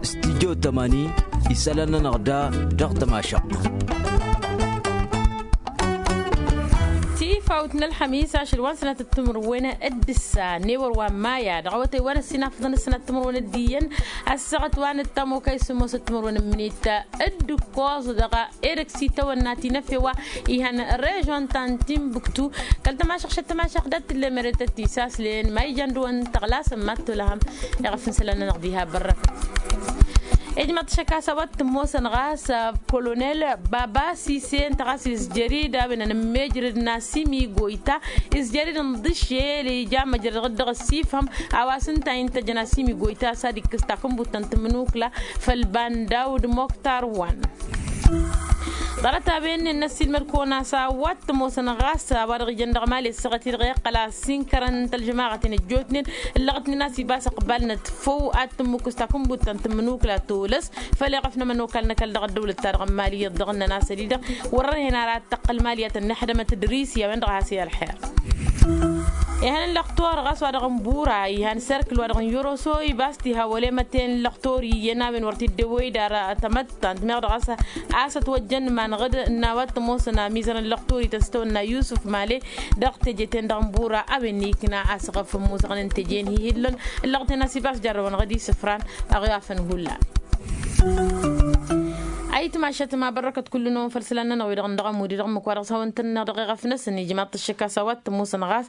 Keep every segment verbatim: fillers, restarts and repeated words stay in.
Studyo tămani isălan-nănăɣ da dăɣ-tămašăɣt. Tifawt n-ălxămis ašăl wa n-sănatăt timǝrwen d-ǝssa n-ewăr wa n-maya dăɣ-awătay wa n-ăssinafăḍăn ăssinat timǝrwen d-iyyăn ăssaɣăt wa n-ăttamokay s-ămoosăt timǝrwen n-minit d-ǝkkoẓ dăɣ-edăgg s-itawănna tinăfe wa ihăn režon ta n-tinbuktu. Kăl-tămašăɣ šăt tămašăɣ dat-tǝllemăret ăttisaslen ma ijan dăɣ-wăn tăɣlasăn mad-tolăhăm iɣăf n-isălan-nănăɣ diha bărrăkăt. Ijmăḍ šăkasa wa t-ămoosăn ɣas kolonel baba sise ǝnta ɣas izjărid a-wen ănămmejrăd n-asimi goyta izjărid n-dăšel ija măjrăd dăɣ-ăssifhăm a-wa s-ǝnta intăjăn asimi goyta s-ad-ikkǝs takǝnbut ta n-tǝmnukla făll-bandawd moktar wan. Ḍarăt-a-wen n-ăssiilmăd-kăwăn a-s a-wa t-ămoosăn ɣas a-wa dăɣ-ijăn dăɣ-mali ăssaɣăt-i-dăɣ iqqăl a-s inkărăn n-tălžămaɣăt-in ăjjootnen ǝllăɣătnen a-s ibas ăqbal n-ătfăw ad-tǝmmukǝs takǝnbut ta n-tǝmmǝnukla tolăs făll-iɣăf n-ămănokal n-ăkall dăɣ-ăddăwlăt-ta-dăɣ n-mali iyyăḍ dăɣ-ǝnnăn a-s ădidăɣ wăr-ărhen ara ad-tăqqăl mali ad-tăn-năḥdămăt d-risi a-wen-dăɣ a has-i-ălxer. Ihăn n-lăxtor ɣas wa dăɣ-n bura ihăn serkǝl wa dăɣ-n yoroso ibas tihawăle măten lăxtor iyyăn a-wen wăr t-dd-ewăy d-ara tămăttant meɣ dăɣ-a-s a-s ătwăjjăn imanăɣ-dd n-a-wa t-ămoosăn amizăr n-lăxtor ităstăwănna yusǝf male dăɣ-teje-ten-dăɣ n-bura a-wen n-ikna a-s ɣăf ămmuzăɣnen teje n-hi-hi-ǝllăn ǝllăɣ-ten a-s ibas jarrăwănăɣ-dd isǝfran ăɣ-i-afăn hullan. Ayǝtmašăt ma bărrăkăt kullu-năwăn făll-isălan-nănăɣ wi-dăɣ n-dăɣ-ămud-i dăɣ-ǝmmǝk wa dăɣ-s hawăn-tăn-nănăɣ dăɣ-eɣăf-năsăn ijmaḍ-t ăššăk a-s a-wa t-ămoosăn ɣas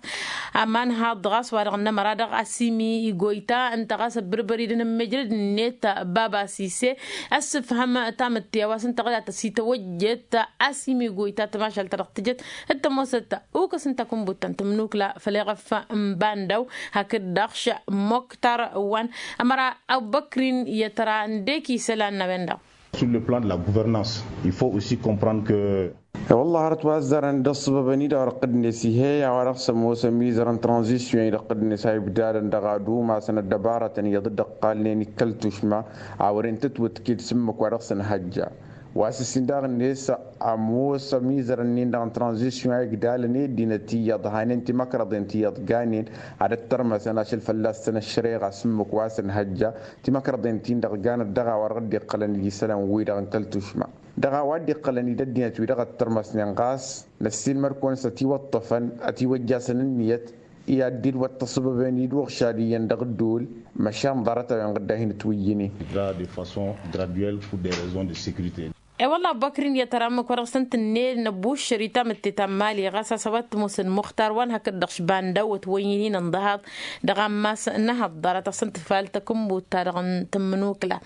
amanhaḍ ɣas wa dăɣ-nămăra dăɣ-asimi igoyta ǝnta ɣas ăbbărbăr-i d-inǝmmejrăd-net baba sise ăssǝfhăm tamǝtte a-wa s-ǝnta ɣǝdat ăsităwăjjet asimi igoyta tămašalt ta dăɣ-tǝjăt d-tămoosăt ukǝs n-takǝnbut ta n-tǝmnukla făll-eɣăf n-bandaw hakd-dăɣ š-moktar wan ămăra abubăkrin i-ătra n-dek isălan n-a-wen-dăɣ. Sur le plan de la gouvernance il faut aussi comprendre que. E-wălla hărăt wa ăzzarăn d-ăṣṣăbăbăn-i-dăɣ răqqǝd-net ih'-e a-wa dăɣ-s ămoos ămizăr n-tranzisyon-i răqqǝd-net a ibdadăn dăɣ-ad-umasăn ăddăbarătăn iyyăḍ dd-ăqqalnen ikkăl tušma a wăren tǝtwǝtkǝd s-ǝmmǝk wa dăɣ-s ănhăjja. Wa s-ǝssin daɣ-net ămoos ămizărăn-in-dăɣ n-tranzisyon a igdalăn i-ăddinăt iyyăḍ hanen timăkrăḍen ti iyyăḍ ganen ad-ăttărmăsăn ašăl fălla-săn ăššăreɣa s-ǝmmǝk wa s-ănhăjja timăkrăḍen-tin-dăɣ ganăt dăɣ-a-wa dăɣ-dd-iqqălăn d-isălan-wi-dăɣ n-kăl-tušma dăɣ-a-wa dd-iqqălăn d-ăddinăt-wi-dăɣ ăttărmăsnen ɣas năssiilmăd-kăwăn s-ătiwăṭṭăfăn ătiwăjjasăn ǝnniyăt i-ad-dd-wăt tăṣṣăbăben-dd wăɣšad iyyăn dăɣ-ădduul măšan ḍarăt-a-wen ɣǝdda hin-ătwǝyyǝnen. De façon graduelle pour des raisons de sécurité. E-wălla abubăkrin i-ad-tăra ǝmmǝk wa dăɣ-săn tǝnne năbuššăr i-tamǝtte ta n-mali ɣas a-s a-wa t-ămoosăn muxtar wa n-hakd-dăɣ š-banda wăt wăyyǝn-in ǝnḍăhaḍ dăɣ-ammas n-ehăḍḍarăt a-s ǝnta tǝfal takǝnbut-ta-dăɣ n-tǝmmǝnukla.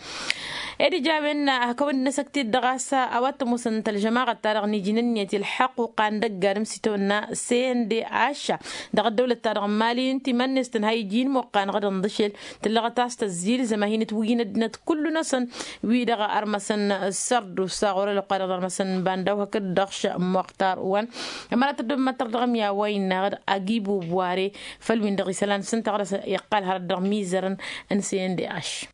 Ed ija a-wen hak a-wen dd-năsăkt-dd dăɣ-a-s a-wa t-ămoosăn tălžămaɣăt-ta-dăɣ n-ijnǝnniyăt i-ălḥăqquqa n-dăgg-adǝm s-itawănna c n d h dăɣ-ăddăwlăt-ta-dăɣ n-mali ǝnta iman-net tǝnha iji n-imuqqan ɣǝd ǝnḍǝšel tǝllăɣăt a-s tăzzilzăm a hin-ǝtwǝyyǝn ăddinăt kullu-năsăn wi-dăɣ ărmăsăn sărdu s-aɣur ălwăqqa-dăɣ ărmăsăn banda-w hakd-dăɣ š-muxtar wan. Ămăra tăddobăm ad-tărdăɣăm i-a-wa innă ɣǝd agibu buware făll-win-dăɣ isălan s-ǝnta ɣǝd a-s iqqal hărăt dăɣ-mizărăn n-c n d h.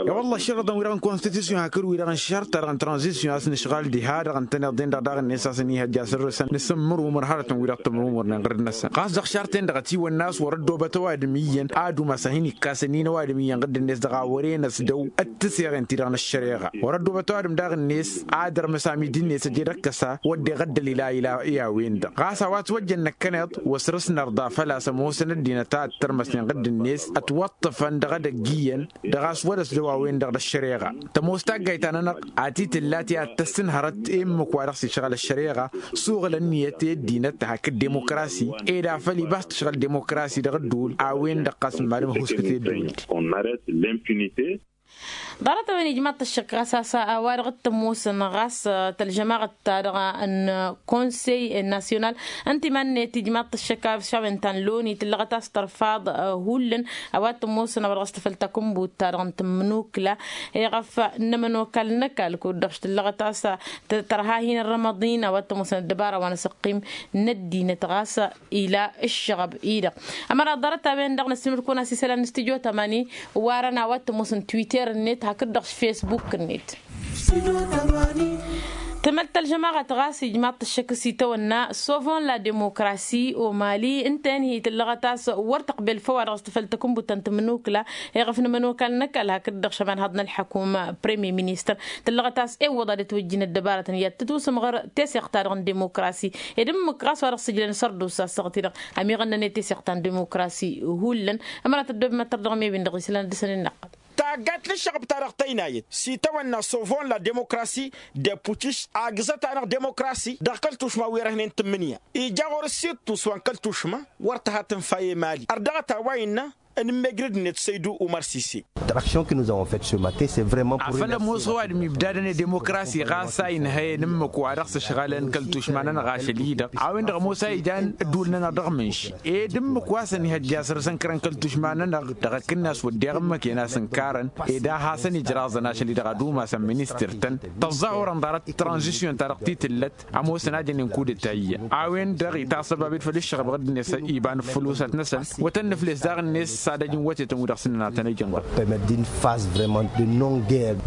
E-wălla ăššărăḍăn-wi-dăɣ n-konstitusyon hakd-wi-dăɣ n-šart-ta-dăɣ n-tranzisyon a-s nǝšɣal diha-dăɣ ǝntăneḍ-en-dăɣ daɣ-net a-s ănihăjja săr-săn nǝsǝmmǝrumǝr hărătăn-wi-dăɣ tǝmrumǝrnen ɣǝrǝd-năsăn ɣas dăɣ-šart-en-dăɣ ătiwănna a-s wăr-ăddoobăt ăwadǝm iyyăn ad-umas a hin-ikkasăn-in ăwadǝm iyyăn ɣǝdd-net dăɣ-a wăren ăsdăw d-tǝseɣen-ti-dăɣ n-ăššăreɣa wăr-ăddoobăt ăwadǝm daɣ-net ad-ărmăs amidi-net ăjed ăkkăsa wădden ăddălil a ila i-a-wen-dăɣ ɣas a-wa ătwăjjăn năkkăneḍ wăsrăs nărḍa făl-a-s ămoosăn ăddinăt a ǝttărmăsnen ɣǝdd-net ătwăṭṭăfăn dăɣ-edăgg iyyăn dăɣ-a-s wăr-ăsdăw a-wen-dăɣ d-ăššăreɣa tămoos taggayt-ta-nănăɣ a t-tǝlla ti ad-tăssǝnhărăt i-ǝmmǝk wa dăɣ-s išɣăl ăššăreɣa suɣǝl ǝnniyăt i-ăddinăt hakd demokrasi ed a făl ibas tǝšɣǝl demokrasi dăɣ-ădduul a-wen-dăɣ ɣas n-madǝm ăhuskǝt i-ădduul-di. Ḍarăt-a-wen ijmaḍ-t ăššăk ɣas a-s a-wa dăɣ-t-ămoosăn ɣas tălžămaɣăt-ta-dăɣ n-konsey nasyonal ǝnta iman-net ijmaḍ-t ăššăk a-s a-wen ta n-loni tǝllăɣăt a-s tărfaḍ hullan a-wa t-ămoosăn a-wa dăɣ-s tăfăl takǝnbut-ta-dăɣ n-tǝmmǝnukla iɣăf n-ămănokal n-ăkall kud-dăɣ š-tǝllăɣăt a-s tărha hin-ărrămăḍ-in a-wa t-ămoosăn ăddăbara wa n-asăqqim n-ăddinăt ɣas ila ǝššăɣăb-i-dăɣ. Ămăra ḍarăt-a-wen-dăɣ năssimăr-kăwăn a-s isălan n-studyo tămani warăn a-wa t-ămoosăn twitter-net hakd-dăɣ s-facebook-net. Tămălt ălžămaɣăt ɣas ijmaḍ-t ăššăk s-itawănna sovon la demokrasi omali ǝnta-en hi-tǝllăɣăt a-s wăr tăqbel făw-wa-dăɣ s-tǝfăl takǝnbut ta n-tǝmmǝnukǝla. Iɣăf n-ămănokal n-ăkall hakd-dăɣ šămanhaḍ n-ălḥăkum premier ministăr tǝllăɣăt a-s ewwăḍ ad-ătwăjjin ăddăbarătăn i-ad-tǝtwǝsǝmɣăr teseɣt-ta-dăɣ n-demokrasi. Ed ǝmmǝk ɣas wa dăɣ-sǝjlăn sărdusa s-aɣăt-i-dăɣ ămiɣănnăn i-teseɣt ta n-demokrasi. Hullan ămăra tăddob măttăr dăɣ-mi ewin dăɣ-islan ad-dăr-săn innăqqăl. Taggayt n-ăššăɣb-ta-dăɣ tăynayăt s-itawănna sovon la demokrasi deputiš agǝzăt-anăɣ demokrasi dăɣ-kăl-tušma wi răhnen tǝmmǝnǝya. Ija ɣur-s ittus wa n-kăl-tušma wăr tǝha tǝnfa i-mali ărdăɣăt a-wa innă ănǝmmejrǝd-net săydu umăr sise. Afăl ămoos ăwadǝm ibdadăn i-demokrasi ɣas a inhăyăn ǝmmǝk wa dăɣ-s ǝšɣalăn kăl-tušma-nănăɣ ašăl-i-dăɣ a-wen-dăɣ ămoos a ijan ǝddul-nănăɣ dăɣ-mǝnš ed ǝmmǝk wa s-ănihăjja săr-săn kărăn kăl-tušma-nănăɣ dăɣ-akǝnnas wădden ǝmmǝk i-năsăn karăn. Ed a hasăn-ijraẓăn ašăl-i-dăɣ ad-umasăn ministăr-tăn tăẓẓahurăn ḍarăt tranzisyon-ta-dăɣ ti tǝllăt ămoosăn a jănen kudǝtayya. A-wen-dăɣ itasăbabed făll-ǝššăɣăb ɣǝdd-net iba n-ǝffǝlosat-năsăn wătăn nǝfles daɣ-net s-ad-ăj n-wătetăn wi-dăɣ s-ǝnnăn ad-tăn-ăjăn ɣur-t.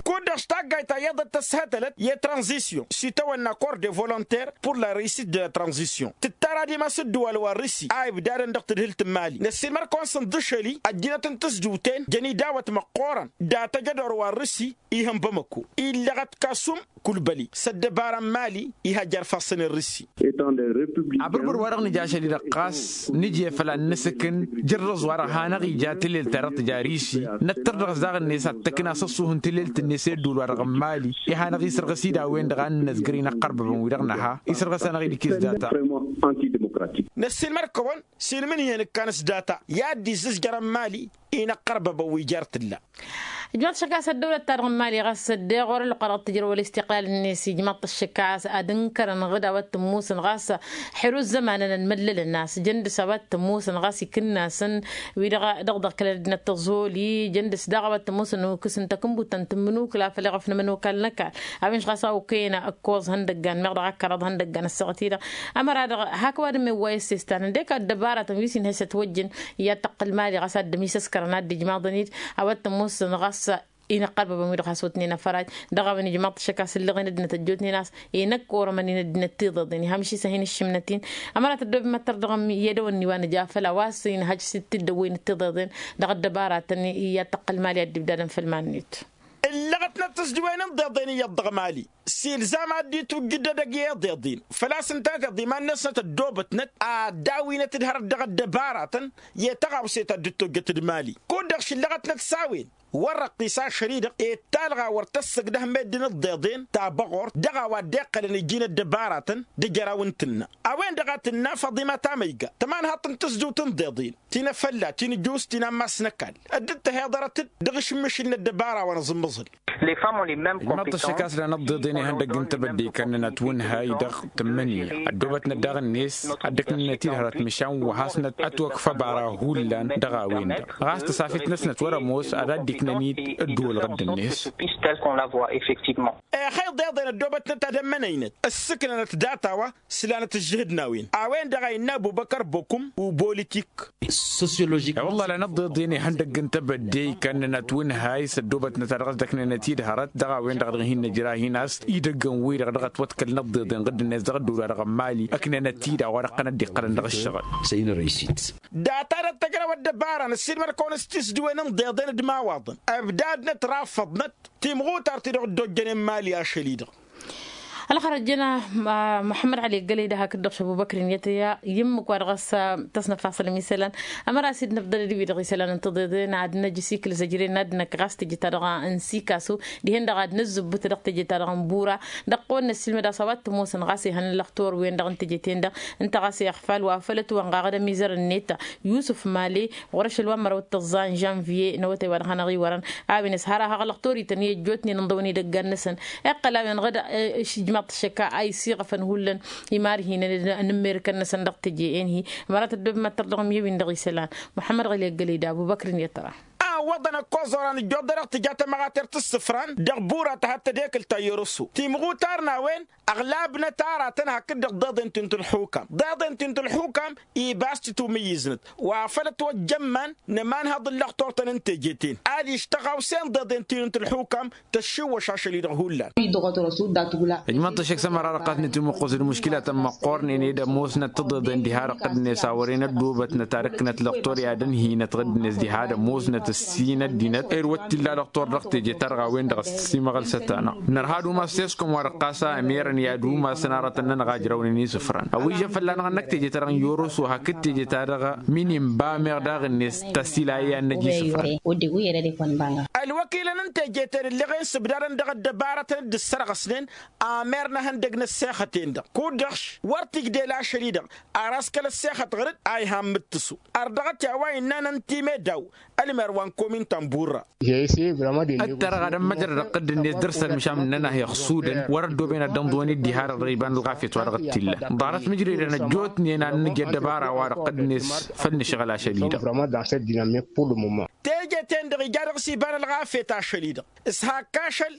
Kud-dăɣ s-taggayt ta iyyăḍ d-tăshătălăt i-tranzisyon s-itawănna corps de volonter pour la reussite de la tranzisyon tǝttara dimas ǝddǝwal wa n-risi a ibdadăn dăɣ-tǝdhǝlt n-imali năssiilmăr-kăwăn sǝnḍǝšăl-i ăjjinăt n-tǝzjǝwten jăn idawăt măqqoorăn. Dat-ejădor wa n-risi ihăn bamăko illăɣăt kasum kulbăli s-ăddăbara n-imali iha jer-ifassăn i-risi. Abǝrbǝr wa dăɣ-nǝja ašăl-i-dăɣ ɣas nǝje făll-ad-nǝsǝkǝn jărrăẓ wa dăɣ-hanăɣ-ija tǝlelt ta dăɣ-tǝja risi năttăr dăɣ-s daɣ-net ad-tăkna s-ăṣṣuh n-tǝlelt-net i-ădduul wa dăɣ-n imali. Ihănăɣ-isărɣǝs-dd a-wen-dăɣ a nǝnnăzgăr inăqqărbăbăn-wi-dăɣ năha isărɣǝs-anăɣ-dd ikiz data. Năssiilmăr-kăwăn s-inmǝnhǝyăn ǝkkan s-data i-ad-dd-izzǝzjărăn imali. Inăqqărbăbăn wi jer-tǝlla. Ijmaḍ-t ăššăk a-s ăddăwlăt-ta-dăɣ n-imali ɣas ăddeɣ wăr-ălwăqqa dăɣ-tǝjrăw ălestiqlal-net ijmaḍ-t ăššăk a-s ad-ǝnkărăn ɣǝd a-wa t-ămmusăn ɣas ăḥru ăzzămanăn ănmăllălăn a-s jăn dăɣ-s a-wa t-ămmusăn ɣas ikǝnnasăn wi-dăɣ dăɣ-dăɣ kăl-ăddinăt tăẓoli jăn dăɣ-s daɣ a-wa t-ămmusăn ukǝs n-takǝnbut ta n-tǝmmǝnukǝla făll-eɣăf n-ămănokal n-ăkall. A-wen-dăɣ ɣas a okăyăn ăkkoẓ ihăndăggan meɣ dăɣ-akăraḍ ihăndăggan ăssaɣăt-i-dăɣ. Ămăra-dăɣ hak ăwadǝm iwway ăssestan ǝndek ăddăbaratăn wi s-inhăy s-ătwăjjăn i-ad-tăqqǝl mali ɣas ad-dd-ămisăskărăn ad-dd-ijmaḍăn-dd a-wa t-ămmusăn ɣas. Inăqqărbăbăn wi-dăɣ has-otnen afăraj dăɣ-a-wen ijmaḍ-t ăššăk a-s ǝllăɣen ăddinăt ăjjootnen a-s inăkk orămăn-in ăddinăt tiḍeḍen iham išisăh-in ǝššǝmnăt-in. Ămăra tăddob măttăr dăɣ-mi i-edăwănni wa nǝja făll-a-wa s-inhăj s-dd-ăwwăynăt tiḍeḍen dăɣ-ăddăbaratăn i-ad-tăqqǝl mali ad-dd-ibdadăn făll-iman-net. Ǝllăɣătnăt tǝsdǝwen n-iḍeḍen iyyăḍ dăɣ-mali s-ilzam ad-dd-itwǝjjǝd edăgg i-iḍeḍen făl-a-s ǝnta tiḍimannăsnăt ăddoobătnăt ad-dawinăt d-hărăt dăɣ-ăddăbaratăn i-tăɣawse ta dd-tojjăt d-mali. Kud-dăɣ šǝllăɣătnăt s-a-wen wăr-răqqis ašăl-i-dăɣ i-talɣa wăr tăssăgdăh meddǝn ǝḍḍeḍen ta băɣort dăɣ-a-wa dd-iqqălăn iji n-ăddăbaratăn d-ejăraw n-tǝnna. A-wen-dăɣ a tǝnna făḍima tamăyga tămanhaḍt n-tǝzdǝwt n-iḍeḍen ti n-afălla ti n-ǝjus ti n-ammas n-ăkall. Dd-tăheḍărăt-dd dăɣ-išǝmmǝšǝl n-ăddăbara wa n-aẓǝmmăẓǝl. Ijmaḍ-t ăššăk a-s lan ăḍḍeḍen ihăndăgg n-tebădde ikănnănăt wǝnhăy dăɣ-tǝmmǝnǝya ăddoobătnăt daɣ-net ad-dd-ăknǝnăt-dd hărăt măšan wa hasnăt ătwăkf ăbara hullan dăɣ-a-wen-dăɣ ɣas tăsafit-năsnăt wăr-ămoos ad-dd-iknăn-dd ădduul ɣǝdd-net. Exăy iḍeḍen ăddoobătnăt ad-ămmănăynăt ǝssǝknănăt data-wa s-lanăt ǝžžǝhǝd n-a-wen a-wen-dăɣ a innă ăbubăkăr bokum. Uboolitik. I-wălla lanăḍḍeḍen ihăndăgg n-tebădde ikănnănăt wǝnhăy s-ăddoobătnăt a dăɣ-s dd-ăknănăt-dd hărăt dăɣ-a-wen-dăɣ dăɣ-hin-nǝjra hin-as idăggăn-wi-dăɣ dăɣ-ătwăḍkălăn ăḍḍeḍen ɣǝddǝnet dăɣ-ădduul wa dăɣ-n mali ǝknănăt-dd a-wa dăɣ-tăn dd-iqqălăn dăɣ-ǝššăɣǝl. Data-dăɣ tăjrăw ăddăbara n-ăssiilmăr-kăwăn s-tisdǝwen n-iḍeḍen d-imawaḍăn ăbdadnăt rafăḍnăt timɣutar-ti-dăɣ dd-ojjănen mali ašăl-i-dăɣ. Ălxărăt jăn muḥămmăd ăli ăggălăy d-ahak dd-ăɣš ăbubăkr-in i-ad-tăyya i-ǝmmǝk wa dăɣ-s tăsnăfasălăm isălan. Ămăra s-dd-năfḍălăd wi-dăɣ isălan n-tiḍeḍen ad-năj s-ikǝl zăjren ad-năkk ɣas teje-ta-dăɣ n-sikasu dihen-dăɣ ad-năzzǝbbǝt dăɣ-teje-ta-dăɣ n-bura. Dăɣ-kăwăn-năssiilmăd a-s a-wa t-ămoosăn ɣas ihăn ăllăxtor-wen-dăɣ n-teje-ten-dăɣ ǝnta ɣas iɣfal wa făl ătwănɣaɣăd ămizăr-net yusǝf male ɣur-ašăl wa n-măraw d-tăẓẓa n-žănviye n-awătay wa dăɣ-hanăɣ-iwărăn. A-wen ăshăr a haɣ ăllăxtor-ităn i-ăjjootnen ǝnḍăwăn idăggan-năsăn iqqăl a-wen ɣǝd ijmaḍ-t ăššăk a isiɣăfăn hullan imarhinăn n-immerǝkăn-năsăn dăɣ-teje-en-hi. Ămărat ăddob măttăr dăɣ-mi i-ăwin dăɣ-isălan muḥămmăd ɣăli ăggălăy d-abubăkr-in i-ătra. Iwwăḍăn ăkkoẓ oran ǝjjoḍ dăr-dăɣ tǝja tămăɣatert s-isǝfran dăɣ-burat a had-tădekǝlt ta i-orăsu timɣutar n-a-wen. Ăɣlabnăt aratăn hakd-dăɣ deḍen ti n-tǝlxukam deḍen ti n-tǝlxukam. Ibas titumǝyyǝznăt wa făl ătwăjja ămman n-ămanhăḍ n-lăxturtăn n-teje-ten ad-išt tăɣawse n-deḍen ti n-tǝlxukam. Tăššiwwăš ašăl-i-dăɣ hullan. Ijmăḍ-t ăššăk s-ămăra-dăɣ qatnăt imǝqqus d-muškilatăn măqqornen ed ămoosnăt tiḍeḍen diha-dăɣ ɣǝddǝnet a wăren ăddoobătnăt ar ǝknăt lăxtur i-ad-ănhinăt ɣǝddǝnet diha d-ămoosnăt ǝssin ăddinăt ed wăr t-illa lăxtur dăɣ-teje-ta-dăɣ a-wen-dăɣ ăssiimăɣălsăt-anăɣ. Nărha ad-umas s-eskom wa dăɣ-ɣas a ămerăn i-ad-umasăn aratăn-nănăɣ a ǝjrăwnen isǝfran ăwijăn fălla-năɣ ănnăk teje-ta-dăɣ n-yoroso hakd teje-ta-dăɣ. Min inba meɣ daɣ-net tăsila i-ad-năj isǝfran. Ălwăkilăn n-teje-ten ǝlleɣen s-ǝbdadăn dăɣ-ăddăbarătăn dd-ǝssărɣăsnen. Amer n-ehăndăg n-ăssexăten-dăɣ kud-dăɣ-š wăr t-ǝjdel ašăl-i-dăɣ ar askăl ăssexăt ɣăr-dd a iham mǝttǝsu. Ărdăɣăt i-a-wa innăn n-timeddaw ălmer wa n-komin ta n-burra. Ǝttărăɣ ad-ămmăjrăd ăqqǝdd-net dăr-săn măšan ǝnnăn-ahi ăxsudăn wăr-ăddooben ad-dd-ănḍǝwăn-dd diha-dăɣ dăɣ-iba n-ălɣafyăt wa dăɣ-t-illa. Ḍarăt mǝjredăn ăjjootnen ad-nǝj ăddăbara wa dăɣ-t-net făll-nǝšɣǝl ašăl-i-dăɣ. Teje-ten-dăɣ ija dăɣ-s iba n-ălɣafyăt ašăl-i-dăɣ s-hakk ašăl.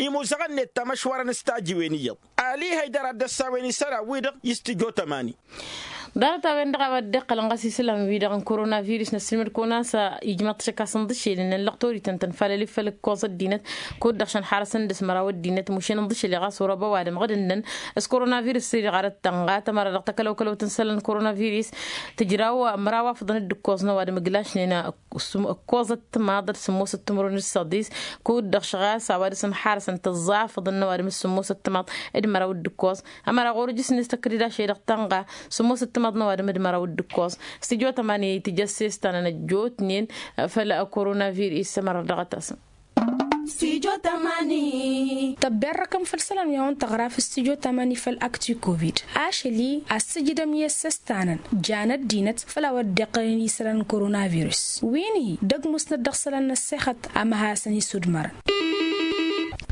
Imuzăɣăn-net tamăšwarăn s-tajiwen iyyăḍ. Ali haydăr ad-dd-ăssawen isălan-wi-dăɣ i-s tǝjo tămani. Ḍarăt-a-wen-dăɣ a-wa dd-iqqălăn ɣas isălan-wi-dăɣ n-korona virus n-ăssiilmăd-kăwăn a-s ijmăḍ-t šăkkas n-iḍǝššel ǝnnăn lăqtor-ităn tănfalăl-i făll-ǝkkoẓ ăddinăt. Kud-dăɣ šăn xarăsăn dăr-s măraw ăddinăt mušen iḍǝššel i-ɣas orăba ăwadǝm ɣǝd-ǝnnăn s-korona virus-i-dăɣ arăt tănɣa tămăra dăɣ-takălăwkălăwt n-isălan n-korona virus. Tǝjraw măraw afǝḍăn d-ǝkkoẓ n-ăwadǝm ǝglašnen ǝkkoẓăt timaḍ d-sǝmmosăt timǝrwen d-săḍis. Kud-dăɣ šɣas a-wa dăr-s ănxarăsăn tǝẓẓafăḍăn n-ăwadǝm s-sǝmmosăt timaḍ d-măraw d-ǝkkoẓ. Ămăra ɣur-ǝjǝs-net tăkdǝd ašăl-i-dăɣ tănɣa sǝmmosăt timaḍ n-ăwadǝm d-măraw d-ǝkkoẓ. S-tǝjo tămani tǝjăssestăn ănăjjootnen făll-a korona virus ămăra dăɣ-tasăn. Tăbberrăkăm făll-isălan wi a-wen tăɣra f-stujo tămani făll-akti covid ašăl-i a ăssǝjǝdăm i-ăssăstanăn jan ăddinăt făll-a-wa dd-iqqălăn isălan n-korona virus wi n-hi dăgg-musnăt dăɣ-isălan n-ăssexăt. Amăhasăn isudmărăn.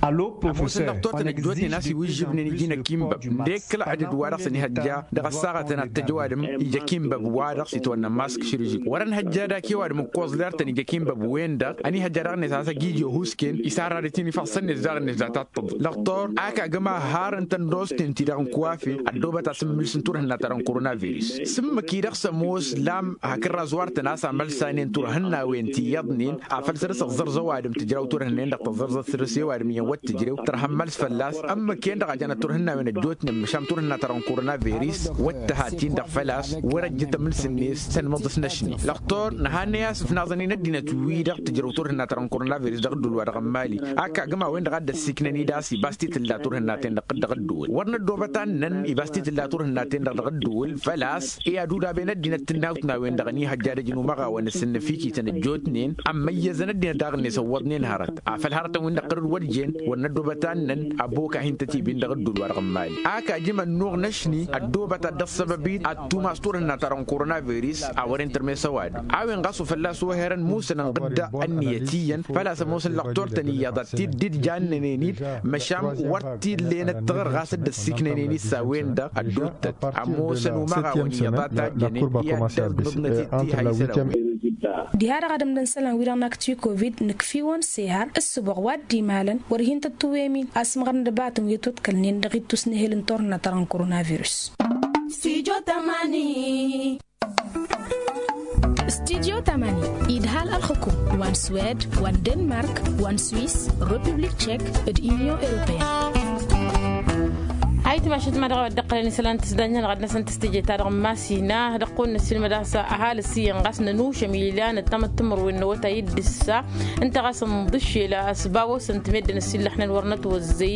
Ămoosăn dăɣ-totăn ăjjootnen a-s iwǝžžǝbnen iji n-ăkimbăb dd-ekk ălɣădăd wa dăɣ-săn ihăjja dăɣ-ăssaɣătăn ad-t-ăj ăwadǝm ija akimbăb wa dăɣ-s itwănnă mask šǝrǝžǝk wăr-ănhăjja daki ăwadǝm ǝkkoẓ ler-tăn ija akimbăb-wen-dăɣ ănihăjja daɣ-net a-s ăjij i-ohusken isarra d-tinifăɣsăn-net daɣ-net data t-tǝḍǝl lăqtor ak agǝm ahar n-tăndosten-ti-dăɣ n-kuwafe. Ăddoobăt asǝmmǝls n-turhǝnna ta dăɣ-n koronavirus s-ǝmmǝk-i-dăɣ s-ămoos lam hakd razwar-tăn a-s amălsanen turhǝnnawen ti iyyăḍnen afăl săr-s ăẓẓărẓ ăwadǝm tǝjraw turhǝnnen-dăɣ tăẓẓărẓăt săr-s i-ăwadǝm iyyăn wăr t-tǝjrew tărha n-imăls fălla-s. Ǝmmǝk-en-dăɣ a janăt turhǝnnawen ăjjootnen măšan turhǝnna ta dăɣ-n koronavirus wăr t-tǝha-tin-dăɣ făl-a-s wăr-ăjjǝt amǝls-net s-ănmăḍǝs n-ašni lăqtor nǝhannăy a-s ǝfnaẓăn-in ăddinăt-wi-dăɣ tǝjrăw turhǝnna ta dăɣ-n koronavirus dăɣ-ǝddǝwǝl wa dăɣ-n mali. Ak agǝm a-wen-dăɣ a dd-ăssiiknăn-dd a-s ibas ti tǝlla turhǝnna-ten-dăɣ dăɣ-ǝddǝwǝl wăr năddoobăt annăn ibas ti tǝlla turhǝnna-ten-dăɣ dăɣ-ǝddǝwǝl făl-a-s i-ad-udaben ăddinăt tǝnnawt n-a-wen-dăɣ ănihăjja d-ăjnumăɣawăn s-ǝnnǝfikităn ăjjootnen ămmăyyăzăn ăddinăt daɣ-net ăwwăḍnen hărăt afăl hărătăn-win-dăɣ tărǝd wăr jen wăr năddoobăt annăn ăbok a hin-tătibin dăɣ-ǝddul wa dăɣ-n mali ak ajǝm ănnuɣ n-ašni ăddoobăt ad-dăɣ-săbăb-in ad-tumas turhǝnna ta dăɣ-n koronavirus. A wăren tărmes ăwadǝm a-wen ɣas wa fălla-s ohărăn musănăn ɣǝdda ănniyăt iyyăn făl-a-s ămoosăn lăqtor-tăn iyyăḍ ad-t-dd-dd-jannănen-dd măšan wăr t-illenăt tiɣǝr ɣas dd-ăssiiknănen-dd s-a-wen-dăɣ ăddootăt ămoosăn umăɣawăn iyyăḍ a tajjănen i-ad-dd-ăḍnăt-dd tiha isălan-wen. Diha-dăɣ ad-ǝmdăn isălan-wi-dăɣ n-akti covid nǝkf'-iwăn s-ehăr ǝssǝboɣ wa dd-imalăn wăr hin-tăt-tǝwwem-in asǝmɣăr n-dăbatăn wi ătwăḍkălnen dăɣ-ittus n-ehel n-turhǝnna ta dăɣ-n koronavirus. Studyo tămani idhal ălxukum wa n-swed wa n-denmark wa n-swis, republik tchek d-union europeyenne. Ayǝtmašăt ma dăɣ-a-wa dd-iqqălăn isălan tǝsdanyăn ɣad-năsăn tǝstǝje-ta-dăɣ n-masina dăɣ-kăwăn-năssiilmăd a-s ăhalǝs iyyăn ɣas nănušăm ilan ăttămăt timǝrwen n-awătay d-ǝssa. Ǝnta ɣas ǝnḍǝššel a-s bawăsăn-t meddǝn ăsillăxnen wăr nătwăzzăy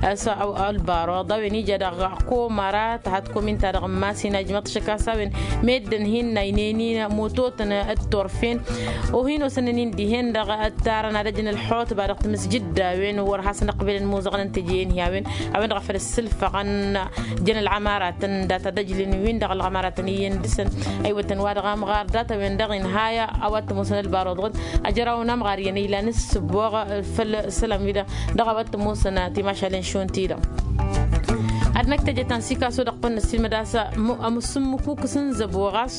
a-s ălbaroḍ a-wen ija daɣ komăra tăha tăkomin-ta-dăɣ n-masina ǝjmăḍ-t šăkk a-s a-wen meddǝn hin-naynen-in mototăn d-turfen. O hin-osănnăn-in dihen-dăɣ ǝttarăn ad-ăjǝn ălxutba dăɣ-timǝsjǝd-a-wen wăr hasăn-ăqbelăn imuzăɣăn n-teje-en hi-a-wen. A-wen-dăɣ a făl ǝssǝlfăɣăn jăn ălɣămaratăn data d-ăjlǝn-win-dăɣ ălɣămaratăn iyyăn dăɣ-săn. Ăywătăn wa dăɣ-amɣar data-wen-dăɣ inhaya a-wa t-ămoosăn ălbaroḍ ɣǝd ăjraw n-amɣar iyyăn ilan ǝssǝboɣ făll-isălan-wi-dăɣ dăɣ-a-wa t-ămoosăn timašalen šund-ti-dăɣ. Ad-năkk teje ta n-sikaso dăɣ-tăn-năssilmăd a-s ămussǝmmǝkukǝs n-zăbo ɣas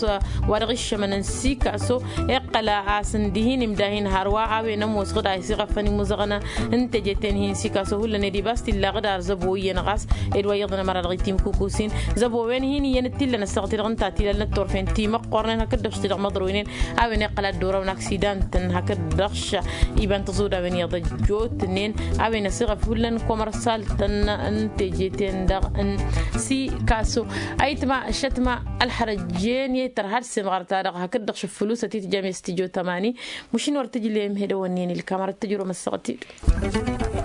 wa dăɣ-iššămăn n-sikaso. Iqqăl a-s ǝndi hin-imdahin hărwa a-wen ămoos ɣǝd a isiɣăfăn imuzăɣăn n-teje-ten-hi n-sikaso hullan ed ibas tillaɣ d-ar zăbo iyyăn ɣas ed wa iyyăḍăn ămăra dăɣ-itimkukusin. Zăbo-wen hin-iyyăn d-tillăn ăssaɣăt-i-dăɣ n-tatilal n-ăttorfen timăqqornen hakd-dăɣ s-ti-dăɣ măḍrăwnen. A-wen iqqăl ad-dd-orăwăn aksidantăn hakd-dăɣ s-iba n-tăẓudawen iyyăḍ ăjjootnen. A-wen ăsiɣăf hullan komărsal-tăn n-teje-ten-dăɣ n-sikaso. Ayǝtma šătma ălxărăjjen i-tărha d-semɣăr-ta-dăɣ hakd-dăɣ šăffălusăt i-tǝjjăm i-s tǝjo tămani. Măšin wăr tǝjlem hedăwănnen ilkam arăt tǝjrăwăm ăssaɣăt-i-dăɣ.